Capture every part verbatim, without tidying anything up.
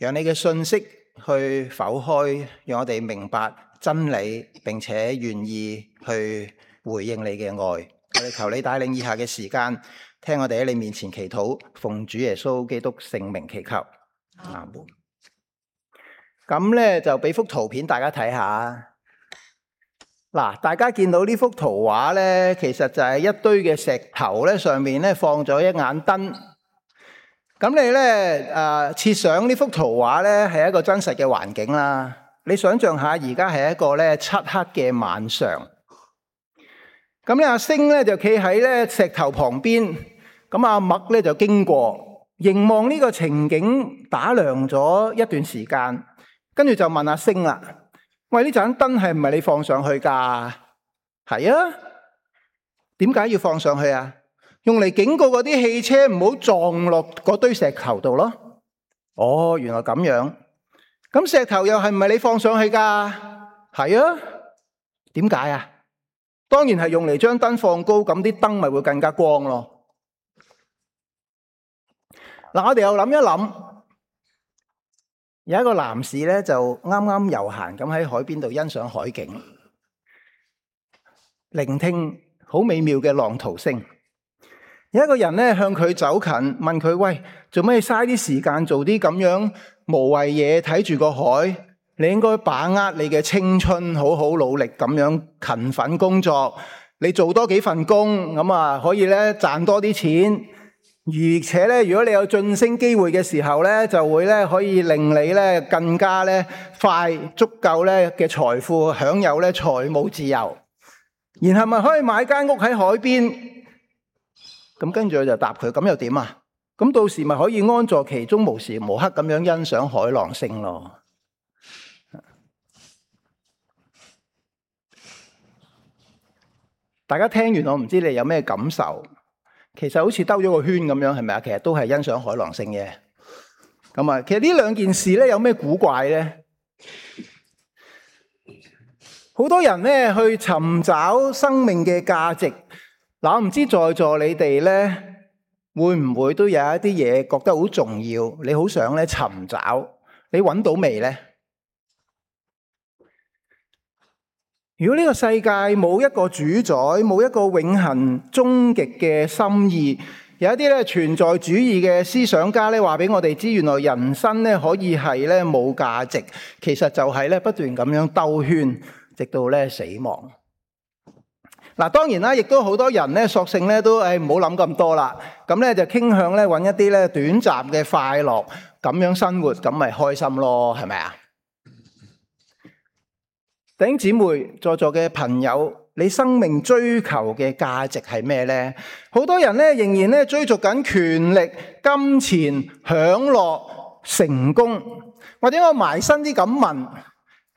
讓你嘅信息去剖開，讓我哋明白真理，並且願意去回應你嘅愛。我哋求你帶領以下嘅時間，聽我哋喺你面前祈禱，奉主耶穌基督聖名祈求。阿門。咁咧就俾幅圖片大家睇下。嗱，大家見到呢幅圖畫咧，其實就係一堆嘅石頭咧，上面咧放咗一眼燈。咁你咧誒設想呢幅圖畫咧係一個真實嘅環境啦。你想象下，而家係一個咧漆黑嘅晚上。咁咧阿星咧就企喺咧石頭旁邊，咁阿麥咧就經過，凝望呢個情景打量咗一段時間，跟住就問阿星啦。喂，呢盞燈係唔係你放上去噶？係啊。點解要放上去啊？用嚟警告嗰啲汽車唔好撞落嗰堆石頭度咯。哦，原來咁樣。咁石頭又係唔係你放上去噶？係啊。點解啊？當然係用嚟將燈放高，咁啲燈咪會更加光咯。嗱，我哋又諗一諗。有一個男士咧，就啱啱悠閒咁喺海邊度欣賞海景，聆聽好美妙嘅浪濤聲。有一個人咧向佢走近，問佢：喂，做咩嘥啲時間做啲咁樣無謂嘢？睇住個海，你應該把握你嘅青春，好好努力咁樣勤奮工作。你做多幾份工，咁啊可以咧賺多啲錢。而且咧，如果你有晉升機會嘅時候咧，就會咧可以令你咧更加咧快足夠咧嘅財富，享有咧財務自由。然後咪可以買間屋喺海邊。咁跟住我就答佢：咁又點啊？咁到時咪可以安坐其中，無時無刻咁樣欣賞海浪聲咯。大家聽完我唔知你有咩感受？其實好似兜咗個圈咁樣，係咪啊？其實都係欣賞海浪聲嘅。咁啊，其實呢兩件事咧有咩古怪咧？好多人咧去尋找生命嘅價值。嗱，我唔知在座你哋咧會唔會都有一啲嘢覺得好重要，你好想咧尋找，你揾到未咧？如果呢個世界冇一個主宰，冇一個永恆終極嘅心意，有一啲咧存在主義嘅思想家咧話俾我哋知，原來人生咧可以係咧冇價值，其實就係咧不斷咁樣兜圈，直到咧死亡。嗱，當然啦，亦都好多人咧索性咧都誒唔好諗咁多啦，咁咧就傾向咧揾一啲咧短暫嘅快樂，咁樣生活，咁咪開心咯，係咪啊？弟兄姊妹，在座嘅朋友，你生命追求嘅價值係咩呢？好多人咧仍然咧追逐緊權力、金錢、享樂、成功，或者我埋身啲咁問，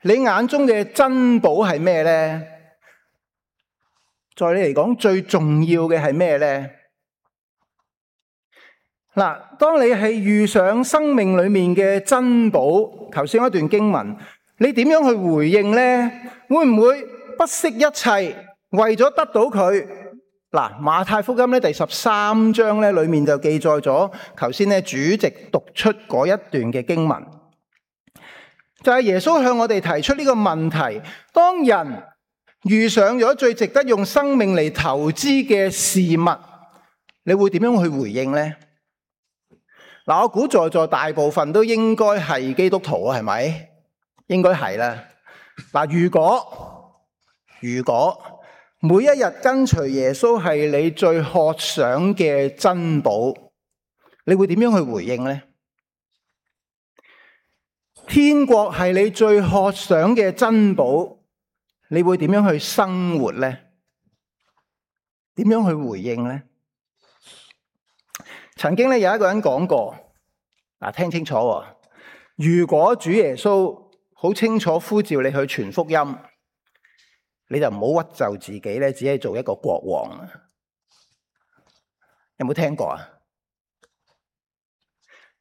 你眼中嘅珍寶係咩呢？在你嚟講最重要嘅係咩呢？嗱，當你係遇上生命裏面嘅珍寶，頭先一段經文，你點樣去回應呢？會唔會不惜一切為咗得到佢？嗱，馬太福音咧第十三章咧裏面就記載咗，頭先咧主席讀出嗰一段嘅經文，就係耶穌向我哋提出呢個問題：當人遇上咗最值得用生命嚟投資嘅事物，你會點樣去回應呢？嗱，我估在座大部分都應該係基督徒啊，係咪？應該係啦。嗱，如果如果每一日跟隨耶穌係你最渴想嘅珍寶，你會點樣去回應呢？天國係你最渴想嘅珍寶，你會點樣去生活呢？點樣去回應呢？曾經咧有一個人講過，嗱，聽清楚喎，如果主耶穌好清楚呼召你去傳福音，你就唔好屈就自己咧，只係做一個國王。有冇聽過啊？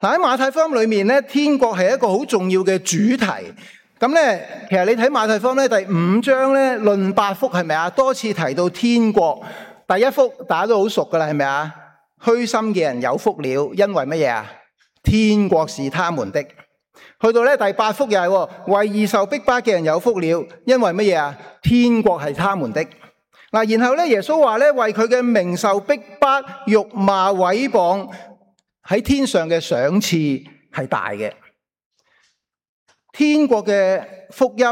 喺馬太福音裏面咧，天國係一個好重要嘅主題。咁咧，其實你睇馬太福音咧第五章咧論八福，係咪啊？多次提到天國。第一福大家都好熟噶啦，係咪啊？虛心嘅人有福了，因為乜嘢啊？天國是他們的。去到咧第八福又係為義受逼迫嘅人有福了，因為乜嘢啊？天國係他們的。嗱，然後咧耶穌話咧，為佢嘅名受逼迫、辱罵、毀謗，喺天上嘅賞賜係大嘅。天國嘅福音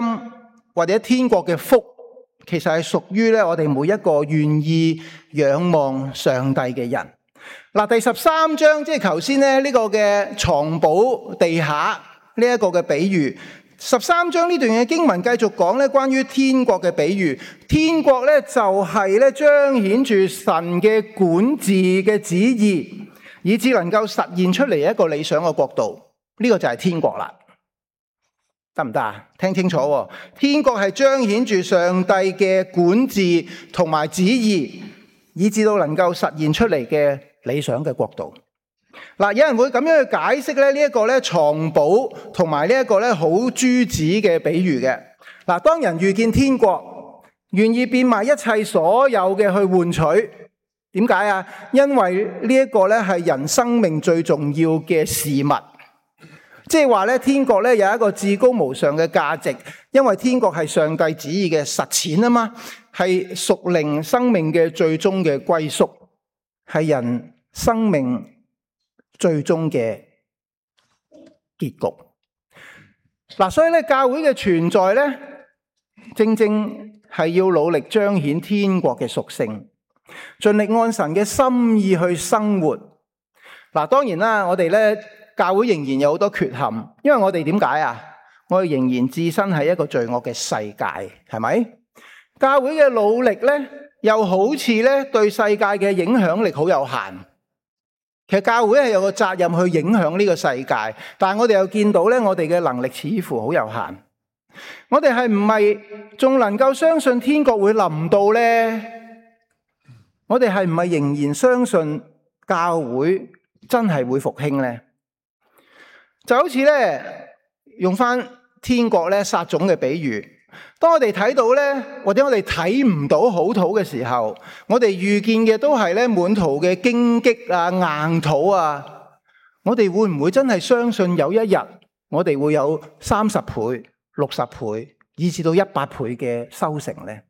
或者天國嘅福，其實係屬於咧我哋每一個願意仰望上帝嘅人。嗱，第十三章即係頭先咧呢個嘅藏寶地下呢一個嘅比喻。十三章呢段嘅經文繼續講咧關於天國嘅比喻。天國咧就係咧彰顯住神嘅管治嘅旨意，以致能夠實現出嚟一個理想嘅國度。呢個就係天國啦。得唔得啊？聽清楚喎，天國係彰顯住上帝嘅管治同埋旨意，以致到能夠實現出嚟嘅理想嘅國度。嗱，有人會咁樣去解釋咧呢一個咧藏寶同埋呢一個咧好珠子嘅比喻嘅。嗱，當人遇見天國，願意變賣一切所有嘅去換取，點解啊？因為呢一個咧係人生命最重要嘅事物。即係話咧，天國咧有一個至高無上嘅價值，因為天國係上帝旨意嘅實踐啊嘛，係屬靈生命嘅最終嘅歸宿，係人生命最終嘅結局。嗱，所以咧教會嘅存在咧，正正係要努力彰顯天國嘅屬性，盡力按神嘅心意去生活。嗱，當然啦，我哋咧。教會仍然有好多缺陷，因為我哋點解啊？我哋仍然置身喺一個罪惡嘅世界，係咪？教會嘅努力咧，又好似咧對世界嘅影響力好有限。其實教會係有個責任去影響呢個世界，但係我哋又見到咧，我哋嘅能力似乎好有限。我哋係唔係仲能夠相信天國會臨到咧？我哋係唔係仍然相信教會真係會復興咧？就好似咧用翻天國咧撒種嘅比喻，當我哋睇到咧，或者我哋睇唔到好土嘅時候，我哋遇見嘅都係咧滿途嘅荊棘啊、硬土啊，我哋會唔會真係相信有一日我哋會有三十倍、六十倍，以至到一百倍嘅收成咧？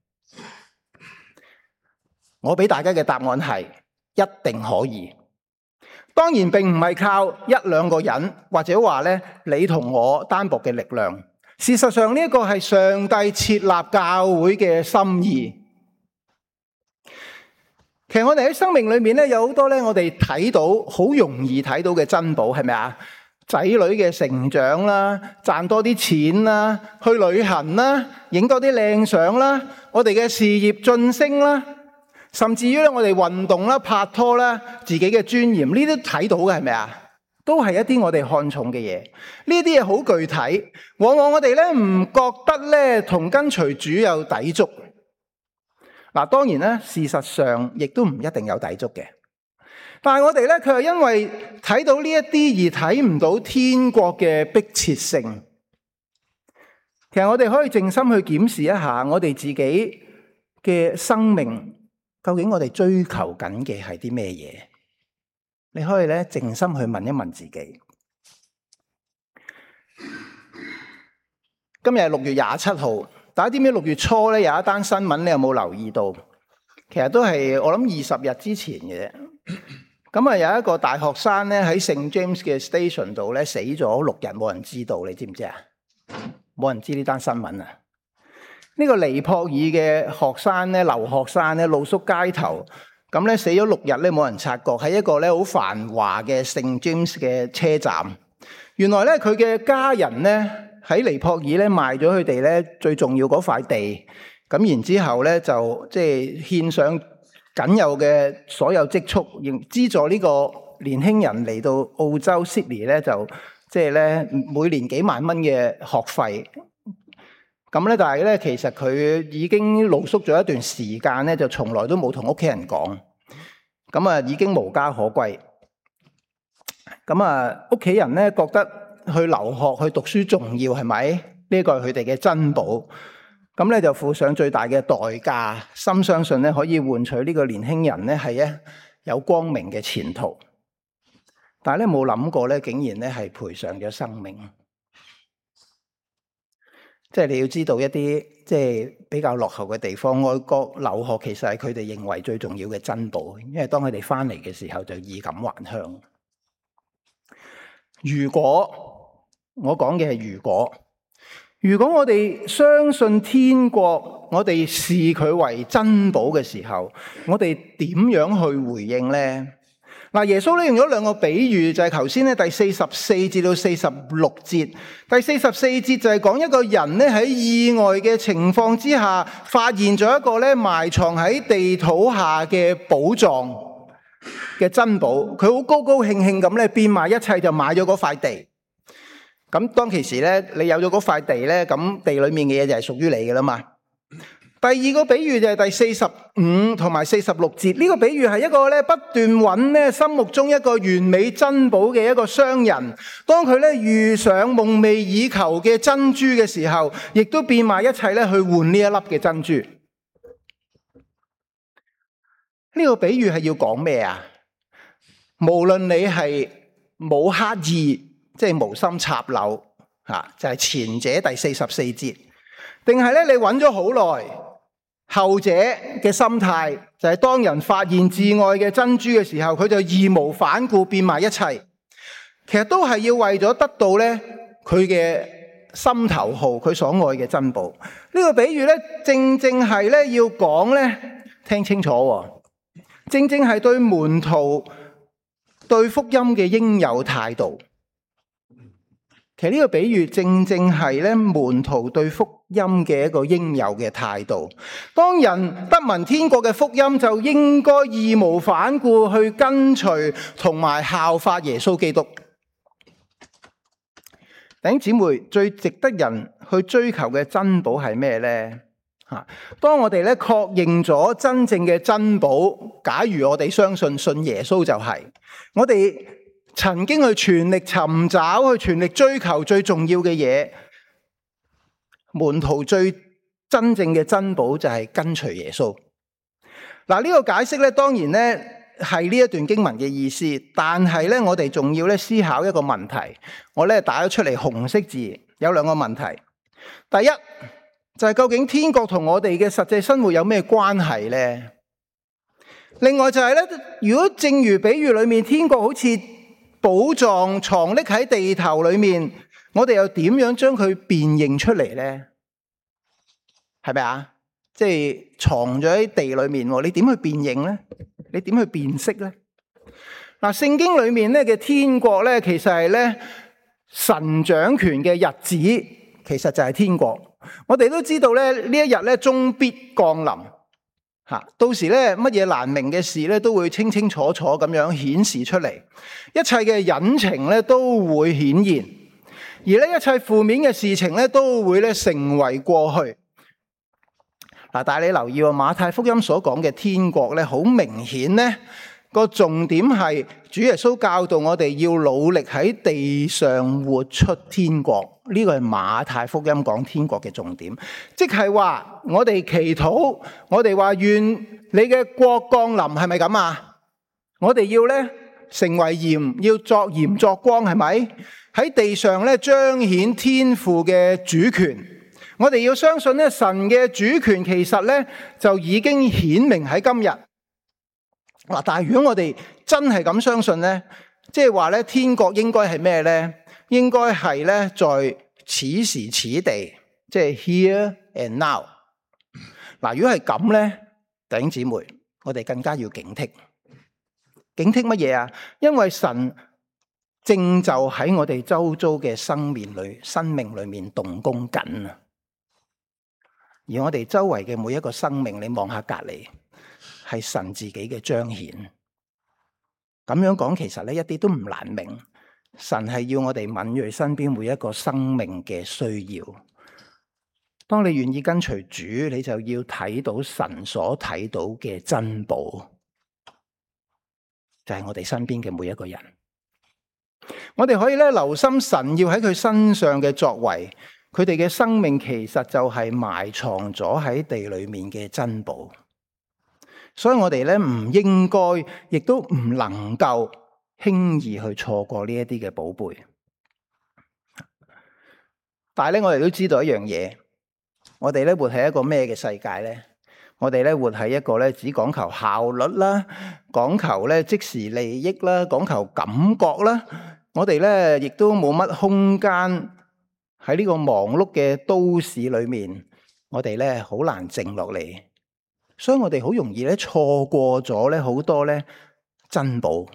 我俾大家嘅答案係一定可以。當然並唔係靠一兩個人，或者話咧你同我單薄嘅力量。事實上呢一個係上帝設立教會嘅心意。其實我哋喺生命裏面咧有好多咧，我哋睇到好容易睇到嘅珍寶，係咪啊？仔女嘅成長啦，賺多啲錢啦，去旅行啦，影多啲靚相啦，我哋嘅事業晉升啦。甚至於咧，我哋運動啦、拍拖啦、自己嘅尊嚴，呢啲睇到嘅係咪啊？都係一啲我哋看重嘅嘢。呢啲嘢好具體，往往我哋咧唔覺得咧同跟隨主有抵觸。嗱，當然咧，事實上亦都唔一定有抵觸嘅。但係我哋咧，佢係因為睇到呢一啲而睇唔到天國嘅迫切性。其實我哋可以靜心去檢視一下我哋自己嘅生命。究竟我哋追求緊嘅係啲咩嘢？你可以咧靜心去問一問自己。今日係六月廿七號，大家知唔知六月初咧有一單新聞，你有冇留意到？其實都係我諗二十日之前嘅啫。咁啊有一個大學生咧喺聖 James 嘅 station 度咧死咗六日，冇人知道，你知唔知啊？冇人知呢單新聞啊！呢個尼泊爾嘅學生咧，留學生咧，露宿街頭，咁咧死咗六日咧，冇人察覺，喺一個咧好繁華嘅聖 James 嘅車站。原來咧佢嘅家人咧喺尼泊爾咧賣咗佢哋咧最重要嗰塊地，咁然之後咧就即係獻上僅有嘅所有積蓄，資助呢個年輕人嚟到澳洲 Sydney 咧就即係咧每年幾萬蚊嘅學費。咁咧，但係咧，其實佢已經露宿咗一段時間咧，就從來都冇同屋企人講。咁啊，已經無家可歸。咁啊，屋企人咧覺得去留學、去讀書重要，係咪？呢個係佢哋嘅珍寶。咁咧就付上最大嘅代價，深相信咧可以換取呢個年輕人咧係一有光明嘅前途。但係咧冇諗過咧，竟然咧係賠上咗生命。即係你要知道一啲即係比較落後嘅地方，外國留學其實係佢哋認為最重要嘅珍寶，因為當佢哋翻嚟嘅時候就衣錦還鄉。如果我講嘅係如果，如果我哋相信天國，我哋視佢為珍寶嘅時候，我哋點樣去回應呢？嗱，耶穌咧用咗兩個比喻，就係頭先咧第四十四至到四十六節。第四十四節就係講一個人咧喺意外嘅情況之下，發現咗一個咧埋藏喺地土下嘅寶藏嘅珍寶，佢好高高興興咁咧變賣一切就買咗嗰塊地。咁當其時咧，你有咗嗰塊地咧，咁地裏面嘅嘢就係屬於你嘅啦嘛。第二個比喻就係第四十五同埋四十六節，呢個比喻係一個咧不斷揾咧心目中一個完美珍寶嘅一個商人，當佢咧遇上夢寐以求嘅珍珠嘅時候，亦都變賣一切咧去換呢一粒嘅珍珠。呢個比喻係要講咩啊？無論你係冇刻意，即係無心插柳，吓就係前者第四十四節，定係咧你揾咗好耐，後者嘅心態就係當人發現至愛嘅珍珠嘅時候，佢就義無反顧變賣一切，其實都係要為咗得到咧佢嘅心頭好，佢所愛嘅珍寶。呢個比喻咧，正正係咧要講咧，聽清楚，正正係對門徒對福音嘅應有態度。其實呢個比喻正正係咧門徒對福音嘅一個應有嘅態度。當人得聞天國嘅福音，就應該義無反顧去跟隨同埋效法耶穌基督。弟兄姊妹，最值得人去追求嘅珍寶係咩呢？吓，當我哋咧確認咗真正嘅珍寶，假如我哋相信信耶穌就係、是、我哋曾經去全力尋找，去全力追求最重要嘅嘢。門徒最真正嘅珍寶就係跟隨耶穌。嗱，呢個解釋咧，當然咧係呢一段經文嘅意思，但係咧我哋仲要咧思考一個問題。我咧打咗出嚟紅色字，有兩個問題。第一就係究竟天國同我哋嘅實際生活有咩關係呢？另外就係咧，如果正如比喻裏面，天國好似寶藏藏匿喺地頭裏面，我哋又點樣將佢辨認出嚟呢？係咪啊？即係藏咗喺地裏面，你點去辨認呢？你點去辨識呢？嗱，聖經裏面咧嘅天國咧，其實係咧神掌權嘅日子，其實就係天國。我哋都知道咧，呢一日咧終必降臨。吓，到時咧乜嘢難明嘅事咧，都會清清楚楚咁樣顯示出嚟，一切嘅隱情咧都會顯現，而呢一切負面嘅事情咧都會咧成為過去。嗱，但係你留意喎，馬太福音所講嘅天國咧，好明顯咧個重點係主耶穌教導我哋要努力喺地上活出天國。呢個係馬太福音講天國嘅重點，即係話我哋祈禱，我哋話願你嘅國降臨，係咪咁啊？我哋要咧成為鹽，要作鹽作光，係咪？喺地上咧彰顯天父嘅主權。我哋要相信咧神嘅主權其實咧就已經顯明喺今日。嗱，但係如果我哋真係咁相信咧，即係話咧天國應該係咩咧？應該係咧在此時此地，即係 here and now。嗱，如果係咁咧，弟兄姊妹，我哋更加要警惕。警惕乜嘢啊？因為神正就喺我哋周遭嘅生命裏、生命裏面動工緊啊！而我哋周圍嘅每一個生命，你望下隔籬，係神自己嘅彰顯。咁樣講，其實咧一啲都唔難明。神係要我哋敏銳身邊每一個生命嘅需要。當你願意跟隨主，你就要睇到神所睇到嘅珍寶，就係我哋身邊嘅每一個人。我哋可以咧留心神要喺佢身上嘅作為，佢哋嘅生命其實就係埋藏咗喺地裏面嘅珍寶。所以我哋咧唔應該，亦都唔能夠輕易去錯過呢一啲嘅寶貝。但係咧，我哋都知道一樣嘢，我哋咧活喺一個咩嘅世界咧？我哋咧活喺一個咧只講求效率啦，講求咧即時利益啦，講求感覺啦。我哋咧亦都冇乜空間喺呢個忙碌嘅都市裏面，我哋咧好難靜落嚟，所以我哋好容易咧錯過咗咧好多咧珍寶，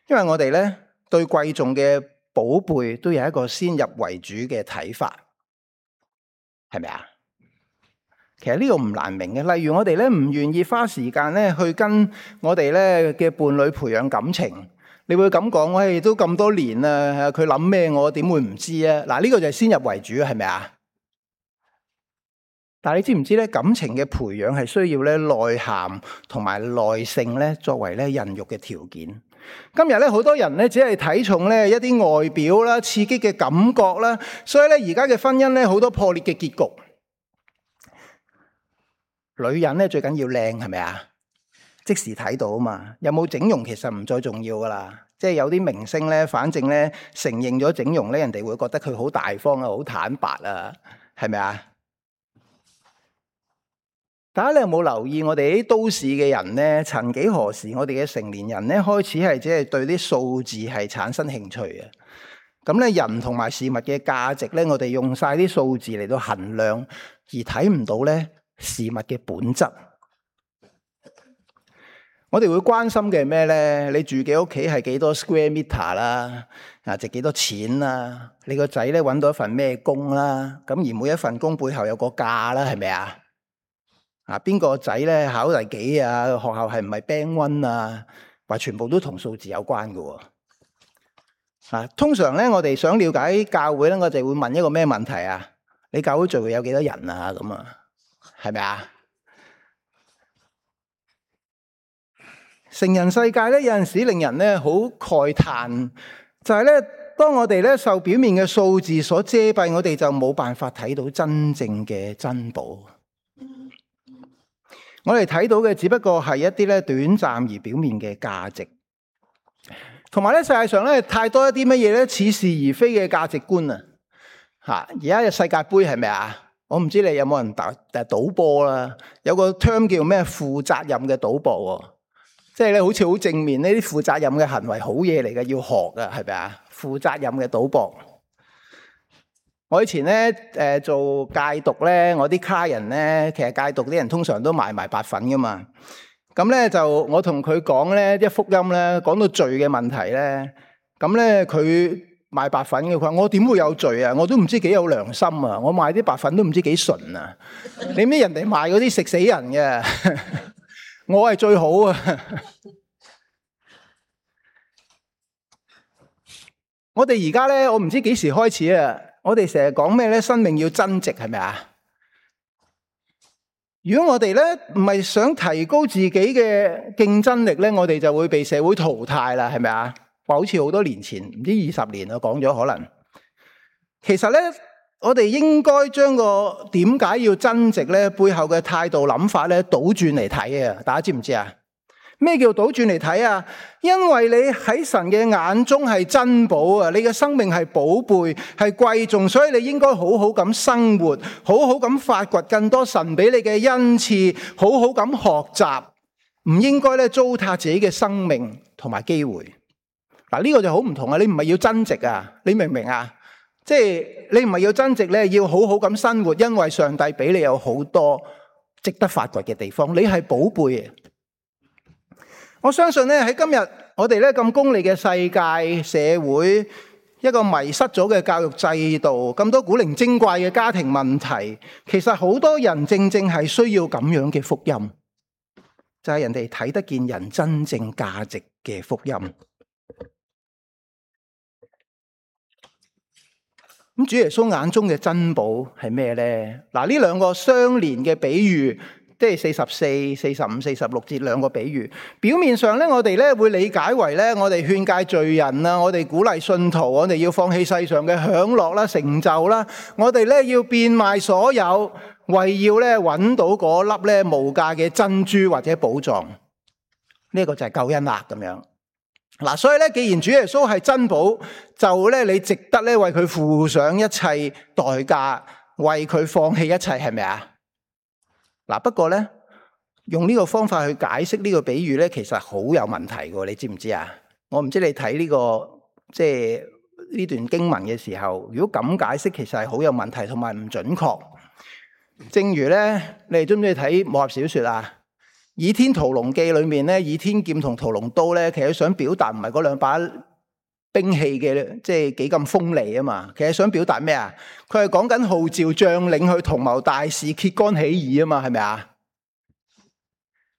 因為我哋咧對貴重嘅寶貝都有一個先入為主嘅睇法，係咪啊？其實呢個唔難明嘅，例如我哋咧唔願意花時間咧去跟我哋咧嘅伴侶培養感情，你會咁講，我哋都咁多年啦，佢諗咩我點會唔知啊？嗱，呢個就係先入為主，係咪啊？但係你知唔知咧？感情嘅培養係需要咧內涵同埋耐性咧作為咧孕育嘅條件。今日咧好多人咧只係睇重咧一啲外表啦、刺激嘅感覺啦，所以咧而家嘅婚姻咧好多破裂嘅結局。女人咧最緊要靚，係咪啊？即時睇到啊嘛，有冇整容其實唔再重要噶啦。即係有啲明星咧，反正咧承認咗整容咧，人哋會覺得佢好大方啊，好坦白啊，係咪啊？大家你有冇留意我哋啲都市嘅人咧？曾幾何時，我哋嘅成年人咧開始係只係對啲數字係產生興趣嘅。咁咧人同埋事物嘅價值咧，我哋用晒啲數字嚟到衡量，而睇唔到咧事物嘅本質。我哋會關心嘅係咩咧？你住嘅屋企係幾多 square meter 啦？啊，值幾多錢啦？你個仔咧揾到一份咩工啦？咁而每一份工背後有個價啦，係咪啊？啊，邊個仔咧考第幾啊？學校係唔係 band one 啊？話全部都同數字有關嘅。啊，通常咧我哋想了解教會咧，我哋會問一個咩問題啊？你教會聚會有幾多人啊？咁啊，係咪啊？成人世界咧有陣時令人咧好慨嘆，就係咧當我哋咧受表面嘅數字所遮蔽，我哋就冇辦法睇到真正嘅珍寶。我哋睇到嘅只不過係一啲咧短暫而表面嘅價值，同埋咧世界上咧太多一啲乜嘢咧似是而非嘅價值觀啊！吓，而家嘅世界盃係咪啊？我唔知你有冇人打誒賭波啦？有個 term 叫咩負責任嘅賭博喎。即係咧，好似好正面呢啲負責任嘅行為，好嘢嚟嘅，要學噶，係咪啊？負責任嘅賭博。我以前咧，誒做戒毒咧，我啲客人咧，其實戒毒啲人通常都賣埋白粉噶嘛。咁咧就我同佢講咧，一福音咧，講到罪嘅問題咧，咁咧佢賣白粉嘅，佢話我點會有罪啊？我都唔知幾有良心啊！我賣啲白粉都唔知幾純啊！你咩人哋賣嗰啲食死人嘅？我係最好啊！我哋而家咧，我唔知幾時開始啊！我哋成日講咩咧？生命要增值，係咪啊？如果我哋咧唔係想提高自己嘅競爭力咧，我哋就會被社會淘汰啦，係咪啊？話好似好多年前，唔知二十年我講咗可能。其實咧，我哋應該將個點解要增值咧背後嘅態度諗法咧倒轉嚟睇啊！大家知唔知啊？咩叫倒轉嚟睇啊？因為你喺神嘅眼中係珍寶啊！你嘅生命係寶貝，係貴重，所以你應該好好咁生活，好好咁發掘更多神俾你嘅恩賜，好好咁學習，唔應該咧糟蹋自己嘅生命同埋機會。嗱，呢個就好唔同啊！你唔係要增值啊？你明唔明啊？即係你唔係要增值咧，要好好咁生活，因為上帝俾你有好多值得發掘嘅地方，你係寶貝啊！我相信咧喺今日我哋咧咁功利嘅世界社會，一個迷失咗嘅教育制度，咁多古靈精怪嘅家庭問題，其實好多人正正係需要咁樣嘅福音，就係人哋睇得見人真正價值嘅福音。咁主耶穌眼中嘅珍寶係咩咧？嗱，呢兩個相連嘅比喻。即係四十四、四十五、四十六節兩個比喻，表面上咧，我哋咧會理解為咧，我哋勸誡罪人啊，我哋鼓勵信徒，我哋要放棄世上嘅享樂啦、成就啦，我哋咧要變賣所有，為要咧揾到嗰粒咧無價嘅珍珠或者寶藏。呢個就係救恩啦咁樣。嗱，所以咧，既然主耶穌係珍寶，就咧你值得咧為佢付上一切代價。為佢放棄一切，係咪啊？嗱，不過咧，用呢個方法去解釋呢個比喻咧，其實好有問題嘅，你知唔知啊？我唔知你睇呢個即係呢段經文嘅時候，如果咁解釋，其實係好有問題同埋唔準確。正如咧，你哋中唔中意睇武俠小說啊？《倚天屠龍記》裏面咧，倚天劍同屠龍刀咧，其實想表達唔係嗰兩把兵器嘅，即係幾咁鋒利啊嘛。其實想表達咩啊？佢係講緊號召將領去同謀大事，揭竿起義啊嘛，係咪啊？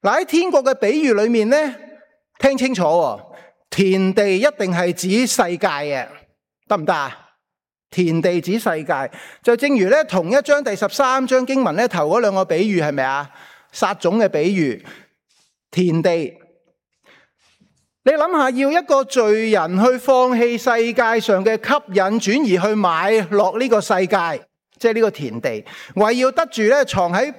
嗱，喺天國嘅比喻裏面咧，聽清楚喎，田地一定係指世界嘅，得唔得啊？田地指世界，就正如咧同一章第十三章經文咧頭嗰兩個比喻，係咪啊？撒種嘅比喻，田地。你諗下，要一個罪人去放棄世界上嘅吸引，轉移去買落呢個世界，即係呢個田地，為要得住咧藏喺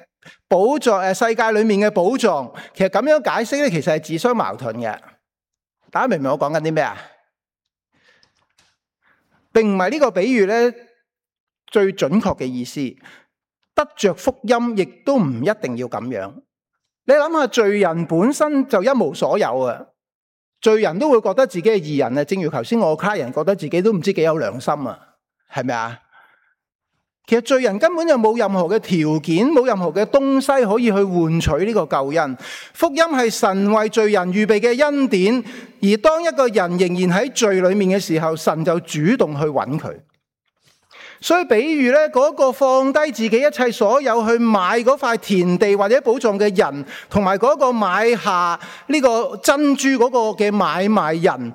寶藏誒世界裏面嘅寶藏。其實咁樣解釋咧，其實係自相矛盾嘅。大家明唔明我講緊啲咩啊？並唔係呢個比喻咧最準確嘅意思，得着福音亦都唔一定要咁樣。你諗下，罪人本身就一無所有啊，罪人都會覺得自己係義人啊。正如頭先我個客人覺得自己都唔知幾有良心啊，係咪啊？其實罪人根本就冇任何嘅條件，冇任何嘅東西可以去換取呢個救恩。福音係神為罪人預備嘅恩典，而當一個人仍然喺罪裏面嘅時候，神就主動去揾佢。所以比喻咧，嗰個放低自己一切所有去買嗰塊田地或者寶藏嘅人，同埋嗰個買下呢個珍珠嗰個嘅買賣人，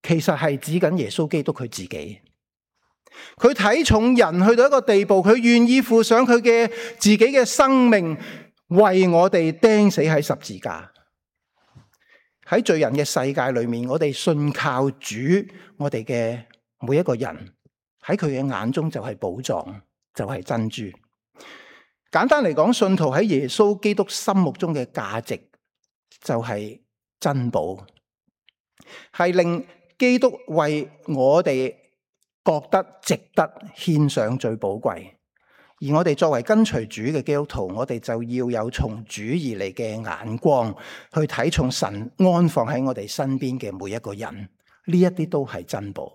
其實係指緊耶穌基督佢自己。佢睇重人去到一個地步，佢願意付上佢嘅自己嘅生命，為我哋釘死喺十字架。喺罪人嘅世界裏面，我哋信靠主，我哋嘅每一個人喺佢嘅眼中就係寶藏，就係珍珠。簡單嚟講，信徒喺耶穌基督心目中嘅價值就係珍寶，係令基督為我哋覺得值得獻上最寶貴。而我哋作為跟隨主嘅基督徒，我哋就要有從主而嚟嘅眼光，去睇重神安放喺我哋身邊嘅每一個人。呢一啲都係珍寶。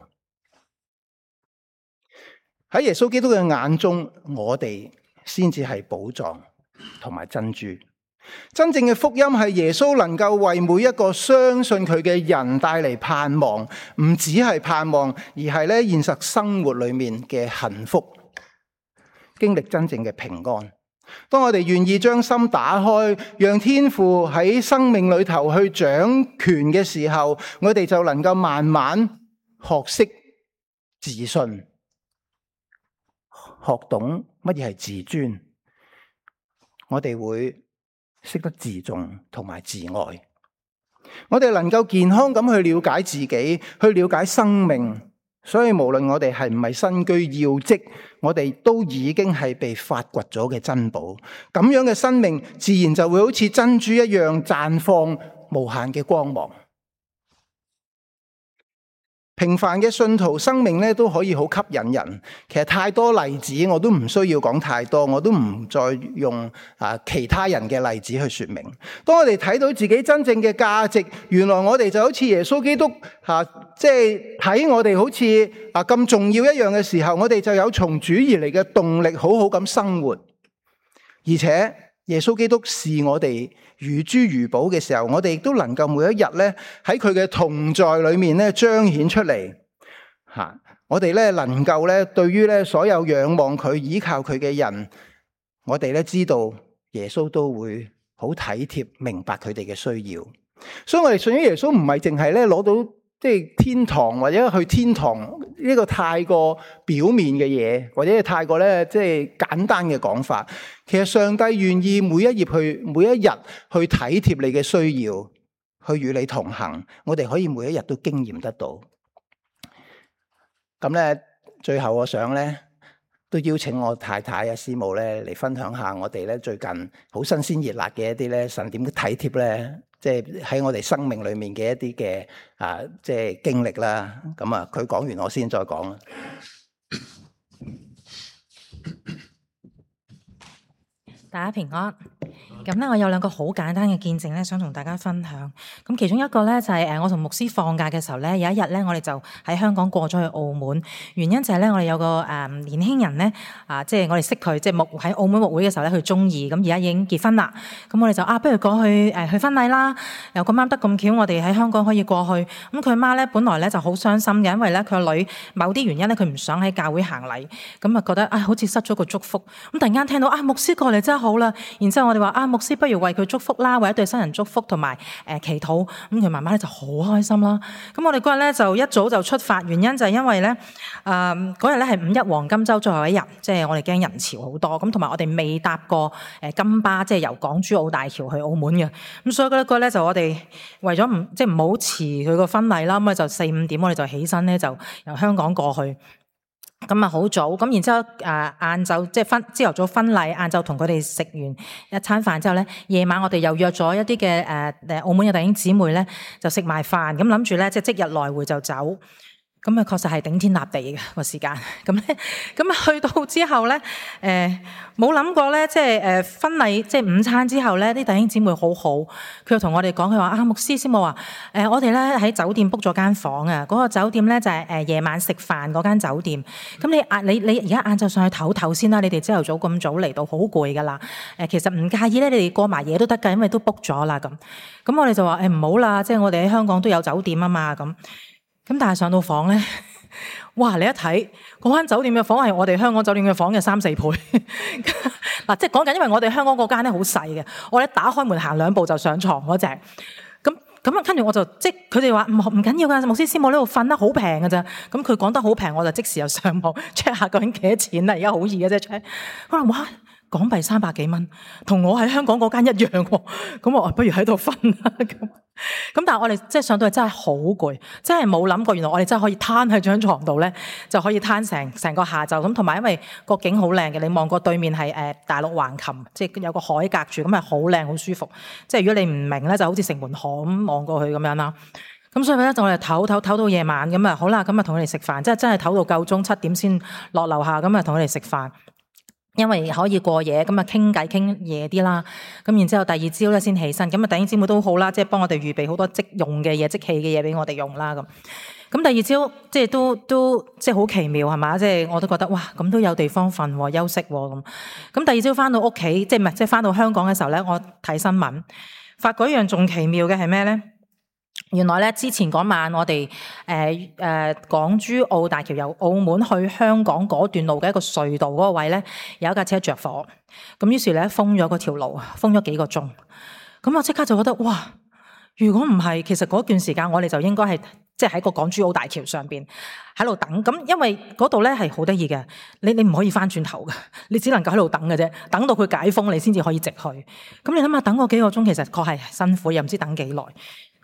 喺耶穌基督嘅眼中，我哋先至係寶藏同埋珍珠。真正嘅福音係耶穌能夠為每一個相信佢嘅人帶嚟盼望，唔只係盼望，而係咧現實生活裏面嘅幸福，經歷真正嘅平安。當我哋願意將心打開，讓天父喺生命裏頭去掌權嘅時候，我哋就能夠慢慢學識自信，學懂乜嘢係自尊。我哋會識得自重同埋自愛，我哋能夠健康咁去了解自己，去了解生命。所以無論我哋係唔係身居要職，我哋都已經係被發掘咗嘅珍寶。咁樣嘅生命自然就會好似珍珠一樣綻放無限嘅光芒。平凡嘅信徒生命咧都可以好吸引人。其實太多例子我都唔需要講太多，我都唔再用啊其他人嘅例子去說明。當我哋睇到自己真正嘅價值，原來我哋就好似耶穌基督吓，即係睇我哋好似啊咁重要一樣嘅時候，我哋就有從主而嚟嘅動力，好好咁生活。而且耶穌基督視我哋如珠如寶嘅時候，我哋亦都能夠每一日咧喺佢嘅同在裏面咧彰顯出嚟吓。我哋咧能夠咧對於咧所有仰望佢、依靠佢嘅人，我哋咧知道耶穌都會好體貼、明白佢哋嘅需要。所以我哋信咗耶穌唔係淨係咧攞到即係天堂或者去天堂呢個太過表面嘅嘢，或者係太過咧即係簡單嘅講法。其實上帝願意每一頁去每一日去體貼你嘅需要，去與你同行。我哋可以每一日都經驗得到。咁咧，最後我想咧都邀請我太太啊師母咧嚟分享下我哋咧最近好新鮮熱辣嘅一啲咧神點體貼咧，即係喺我哋生命裏面嘅一啲嘅啊，即係經歷啦。咁啊，佢講完我先再講啦。大家平安。咁咧，我有兩個好簡單嘅見證咧，想同大家分享。咁其中一個咧就係誒，我同牧師放假嘅時候咧，有一日咧，我哋就喺香港過咗去澳門。原因就係咧，我哋有個誒年輕人咧，啊，即係我哋識佢，即係牧喺澳門牧會嘅時候咧，佢中意。咁而家已經結婚啦。咁我哋就啊，不如過去誒去婚禮啦。又咁啱得咁巧，我哋喺香港可以過去。咁佢媽咧，本來咧就好傷心嘅，因為咧佢個女某啲原因咧，佢唔想喺教會行禮，咁啊覺得啊好似失咗個祝福。咁突然間聽到啊牧師過嚟真係好啦。然之後我哋話啊牧師不如為佢祝福啦，為一對新人祝福同埋誒祈禱。咁佢媽媽咧就好開心啦。咁我哋嗰日咧就一早就出發，原因就係因為咧誒嗰日咧係五一黃金週最後一日，即係我哋驚人潮好多。咁同埋我哋未搭過誒金巴，即係由港珠澳大橋去澳門嘅。咁所以嗰日咧就我哋為咗唔即係唔好遲佢個婚禮啦，咁啊就四五點我哋就起身咧就由香港過去。咁啊好早，咁然之後誒晏晝即係婚朝頭早婚禮，晏晝同佢哋食完一餐飯之後咧，夜晚我哋又約咗一啲嘅誒誒澳門嘅弟兄姊妹咧，就食埋飯，咁諗住咧即係即日來回就走。咁啊，確實係頂天立地嘅個時間。咁咧，咁啊去到之後咧，誒冇諗過咧，即係誒婚禮即係午餐之後咧，啲弟兄姊妹好好，佢又同我哋講，佢話啊牧師師母話，誒我哋咧喺酒店 book 咗間房啊，嗰個酒店咧就係誒夜晚食飯嗰間酒店。咁你晏你你而家晏晝上去唞唞先啦，你哋朝頭早咁早嚟到好攰噶啦。誒其實唔介意咧，你哋過埋夜都得㗎，因為都 book 咗啦咁。咁我哋就話誒唔好啦，即係我哋喺香港都有酒店啊嘛咁。咁但係上到房咧，哇！你一睇嗰間酒店嘅房係我哋香港酒店嘅房嘅三四倍。嗱，即係講緊，因為我哋香港嗰間咧好細嘅，我哋打開門行兩步就上床嗰隻。咁咁啊，跟住我就即係佢哋話唔唔緊要㗎，牧師師母呢度瞓得好平㗎咋。咁佢講得好平，我就即時又上網 check 下究竟幾多錢啦。而家好易嘅啫 check。我話哇！港幣三百幾蚊，同我喺香港嗰間一樣喎。咁我話不如喺度瞓啦。咁咁但係我哋即係上到去真係好攰，真係冇諗過原來我哋真係可以攤喺張床度咧，就可以攤成成個下晝咁。同埋因為個景好靚嘅，你望過對面係誒大陸橫琴，即係有個海隔住，咁係好靚好舒服。即係如果你唔明咧，就好似城門河咁望過去咁樣啦。咁所以咧就我哋唞唞唞到夜晚咁啊，好啦，咁啊同佢哋食飯，即係真係唞到夠鐘七點先落樓下，咁啊同佢哋食飯。因為可以過夜，咁啊傾偈傾夜啲啦，咁然之後第二朝咧先起身，咁啊弟兄姊妹都好啦，即係幫我哋預備好多即用嘅嘢、即棄嘅嘢俾我哋用啦咁。咁第二朝即係都都即係好奇妙係嘛？即係我都覺得哇，咁都有地方瞓休息咁。咁第二朝翻到屋企，即係唔係即係翻到香港嘅時候咧，我睇新聞，發覺一樣仲奇妙嘅係咩咧？原來咧之前嗰晚我哋誒誒港珠澳大橋由澳門去香港嗰段路嘅一個隧道嗰個位咧，有一架車着火，咁於是咧封咗嗰條路，封咗幾個鐘。咁我即刻就覺得哇！如果唔係，其實嗰段時間我哋就應該係即係喺個港珠澳大橋上邊喺度等。咁因為嗰度咧係好得意嘅，你你唔可以翻轉頭嘅，你只能夠喺度等嘅啫，等到佢解封你先至可以直去。咁你諗下等嗰幾個鐘，其實確係辛苦，又唔知等幾耐。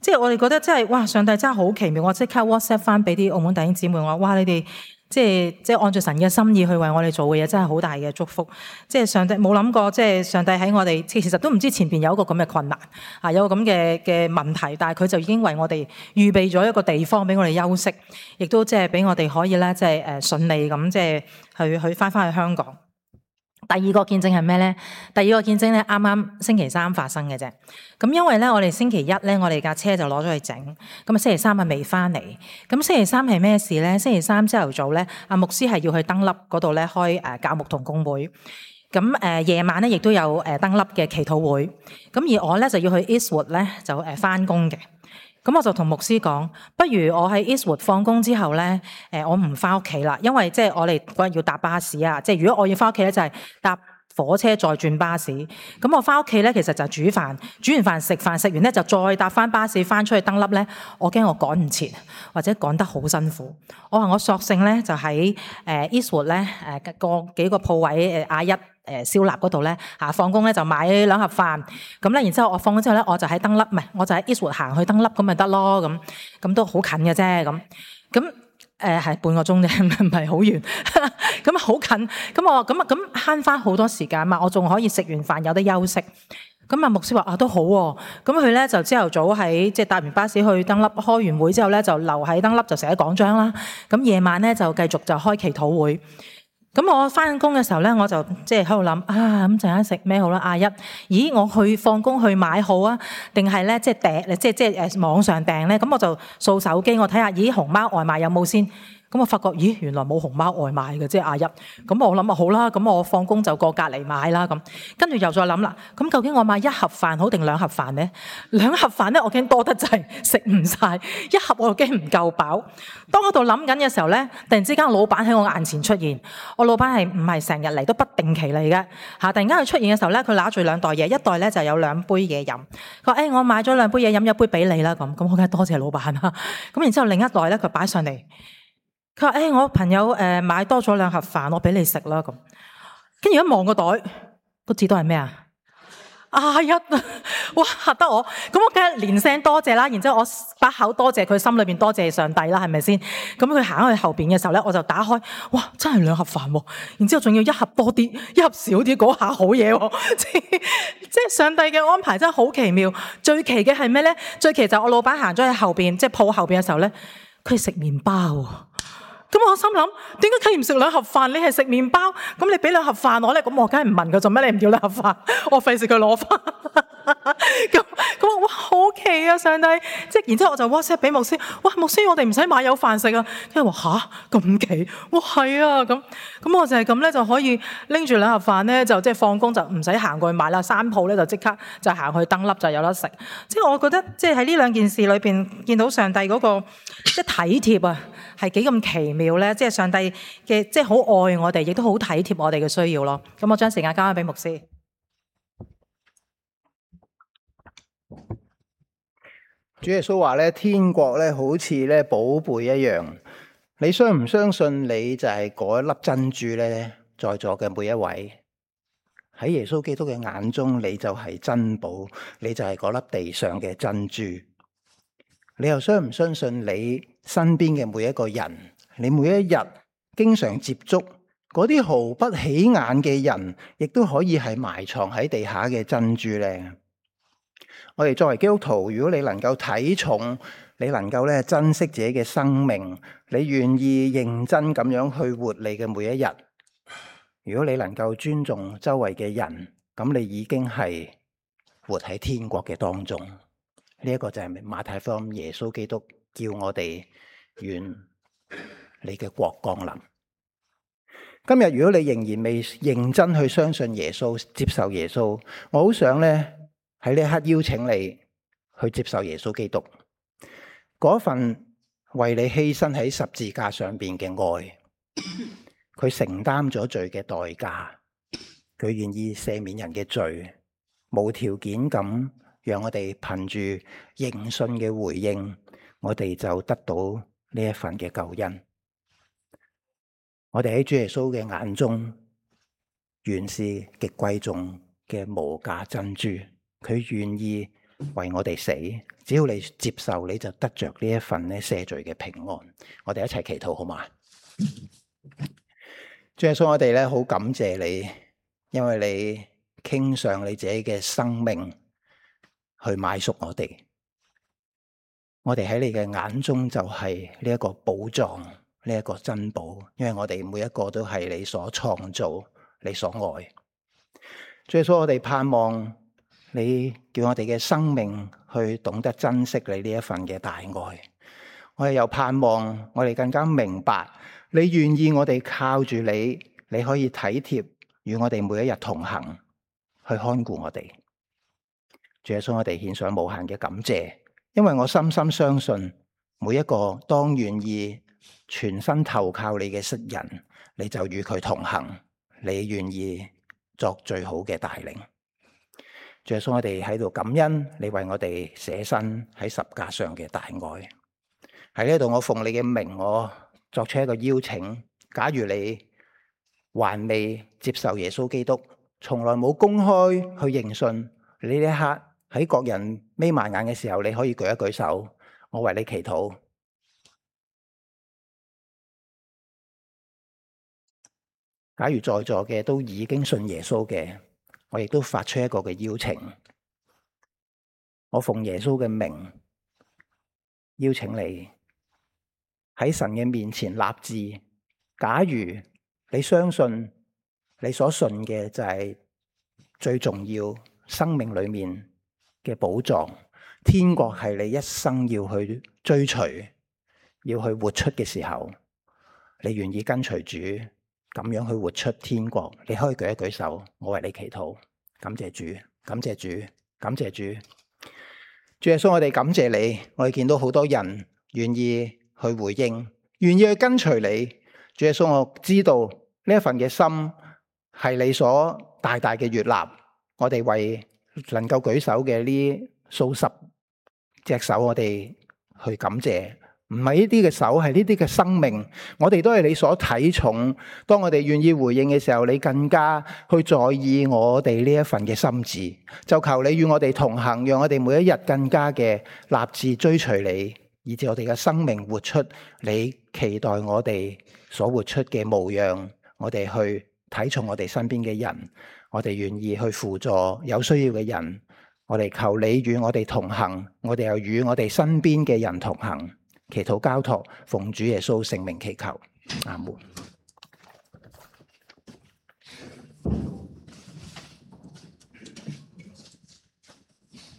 即係我哋覺得真係哇，上帝真係好奇妙。我即刻 WhatsApp 翻俾啲澳門弟兄姊妹，我話哇，你哋即係即係按照神嘅心意去為我哋做嘅嘢，真係好大嘅祝福。即係上帝冇諗過，即係上帝喺我哋其實都唔知前邊有一個咁嘅困難啊，有個咁嘅嘅問題，但係佢就已經為我哋預備咗一個地方俾我哋休息，亦都即係俾我哋可以咧，即係誒順利咁即係去去翻翻去香港。第二個見證係咩咧？第二個見證咧，啱啱星期三發生嘅啫。咁因為咧，我哋星期一咧，我哋架車就攞咗去整。咁啊，星期三啊未翻嚟。咁星期三係咩事咧？星期三朝頭早咧，阿牧師係要去登粒嗰度咧開誒教牧同工會。咁誒夜晚咧，亦都有誒登粒嘅祈禱會。咁而我咧就要去 Eastwood 咧就誒翻工嘅。咁我就同牧師講，不如我喺 Eastwood 放工之後咧，誒我唔翻屋企啦，因為即係我哋嗰日要搭巴士啊，即係如果我要翻屋企咧，就係搭火車再轉巴士。咁我翻屋企咧，其實就煮飯，煮完飯食飯，食完咧就再搭翻巴士翻出去登粒咧，我驚我趕唔切，或者趕得好辛苦。我話我索性咧就喺誒 Eastwood 咧誒個幾個鋪位誒亞一。誒燒臘嗰度咧嚇，放工咧就買兩盒飯，咁咧然之後我放咗之後咧，我就喺登粒，唔係我就喺 Eastwood 行去登粒咁咪得咯，咁咁都好近嘅啫，咁咁誒係半個鐘啫，唔係好遠，咁好近，咁我咁咁慳翻好多時間嘛，我仲可以食完飯有得休息。咁啊牧師話啊都好喎，咁佢咧就朝頭早喺即係搭完巴士去登粒，開完會之後咧就留喺登粒就寫講章啦，咁夜晚咧就繼續就開祈禱會。咁我翻工嘅時候咧，我就即係喺度諗啊，咁陣間食咩好啦？阿一，咦，我去放工去買好啊，定係咧即係訂，即係即係誒網上訂咧？咁我就掃手機，我睇下，咦，熊貓外賣有冇先？咁我發覺，咦，原來冇熊貓外賣嘅，即係阿一。咁我諗啊，好啦，咁我放工就過隔離買啦。咁跟住又再諗啦，咁究竟我買一盒飯好定兩盒飯咧？兩盒飯咧，我驚多得滯，食唔晒；一盒我又驚唔夠飽。當我度諗緊嘅時候咧，突然之間老闆喺我眼前出現。我老闆係唔係成日嚟，都不定期嚟嘅嚇。突然間佢出現嘅時候咧，佢攞住兩袋嘢，一袋咧就有兩杯嘢飲。佢話：誒、欸，我買咗兩杯嘢飲，一杯俾你啦。咁咁我梗係多謝老闆啦。咁然之後另一袋咧，佢擺上嚟。佢話：誒、欸，我朋友誒買多咗兩盒飯，我俾你食啦咁。跟住一望個袋，個字都係咩啊？阿一啊！哇，嚇得我！咁我梗係連聲多謝啦。然之後我把口多謝佢，心裏邊多謝上帝啦，係咪先？咁佢行去後邊嘅時候咧，我就打開，哇！真係兩盒飯喎。然之後仲要一盒多啲，一盒少啲，嗰下好嘢喎！即係即係上帝嘅安排真係好奇妙。最奇嘅係咩咧？最奇就係我老闆行咗去後邊，即係鋪後邊嘅時候咧，佢係食麵包喎。咁我心諗，點解佢唔食兩盒飯？你係食麵包，咁你俾兩盒飯我咧，咁我梗係唔問佢做咩？你唔要兩盒飯，我費事佢攞翻。咁咁哇，好奇啊！上帝，即係然之後我就 WhatsApp 俾牧師，哇，牧師，我哋唔使買有飯食啊！跟住話吓，咁奇，哇係啊，咁咁我就係咁咧，就可以拎住兩盒飯咧，就即係放工就唔使行過去買啦，三鋪咧就即刻就行去登粒就有得食。即係我覺得，即係喺呢兩件事裏邊見到上帝嗰個即係體貼啊，係幾咁奇妙咧！即係上帝嘅，即係好愛我哋，亦都好體貼我哋嘅需要咯。咁我將時間交翻俾牧師。主耶穌話咧，天國咧好似咧寶貝一樣。你相唔相信你就係嗰一粒珍珠咧？在座嘅每一位喺耶穌基督嘅眼中，你就係珍寶，你就係嗰粒地上嘅珍珠。你又相唔相信你身邊嘅每一個人，你每一日經常接觸嗰啲毫不起眼嘅人，亦都可以係埋藏喺地下嘅珍珠咧？我哋作為基督徒，如果你能夠睇重，你能夠咧珍惜自己嘅生命，你願意認真咁樣去活你嘅每一日，如果你能夠尊重周圍嘅人，咁你已經係活喺天國嘅當中。呢一個就係馬太福音耶穌基督叫我哋願你嘅國降臨。今日如果你仍然未認真去相信耶穌，接受耶穌，我好想咧喺呢一刻邀請你去接受耶穌基督嗰份為你犧牲喺十字架上邊嘅愛。佢承擔咗罪嘅代價，佢願意赦免人嘅罪，無條件咁讓我哋憑住認信嘅回應，我哋就得到呢一份嘅救恩。我哋喺主耶穌嘅眼中，原是極貴重嘅無價珍珠。佢願意為我哋死，只要你接受，你就得着呢一份咧赦罪嘅平安。我哋一齊祈禱好嗎？主耶穌，我哋咧好感謝你，因為你傾上你自己嘅生命去買贖我哋。我哋喺你嘅眼中就係呢一個寶藏，呢一個珍寶，因為我哋每一個都係你所創造，你所愛。主耶穌，我哋盼望你叫我哋嘅生命去懂得珍惜你呢一份嘅大愛。我哋又盼望我哋更加明白，你願意我哋靠住你，你可以體貼與我哋每一日同行，去看顧我哋。主耶穌，我哋獻上無限嘅感謝，因為我深深相信，每一個當願意全身投靠你嘅識人，你就與佢同行，你願意作最好嘅帶領。主耶穌，我哋喺度感恩你為我哋捨身喺十架上嘅大愛。喺呢度，我奉你嘅名，我作出一個邀請。假如你還未接受耶穌基督，從來冇公開去認信，你呢一刻喺各人眯埋眼嘅時候，你可以舉一舉手，我為你祈禱。假如在座嘅都已經信耶穌嘅，我亦都發出一個嘅邀請，我奉耶穌嘅名邀請你喺神嘅面前立志。假如你相信你所信嘅就係最重要，生命裏面嘅寶藏，天國係你一生要去追隨，要去活出嘅時候，你願意跟隨主咁樣去活出天國，你可以舉一舉手，我為你祈禱。感謝主，感謝主，感謝主。主耶穌，我哋感謝你，我哋見到好多人願意去回應，願意去跟隨你。主耶穌，我知道呢一份嘅心係你所大大嘅悅納，我哋為能夠舉手嘅呢數十隻手，我哋去感謝。唔係呢啲嘅手，係呢啲嘅生命，我哋都係你所睇重。當我哋願意回應嘅時候，你更加去在意我哋呢一份嘅心志。就求你與我哋同行，讓我哋每一日更加嘅立志追隨你，以致我哋嘅生命活出你期待我哋所活出嘅模樣。我哋去睇重我哋身邊嘅人，我哋願意去輔助有需要嘅人。我哋求你與我哋同行，我哋又與我哋身邊嘅人同行。祈禱交託，奉主耶穌聖名祈求，阿門。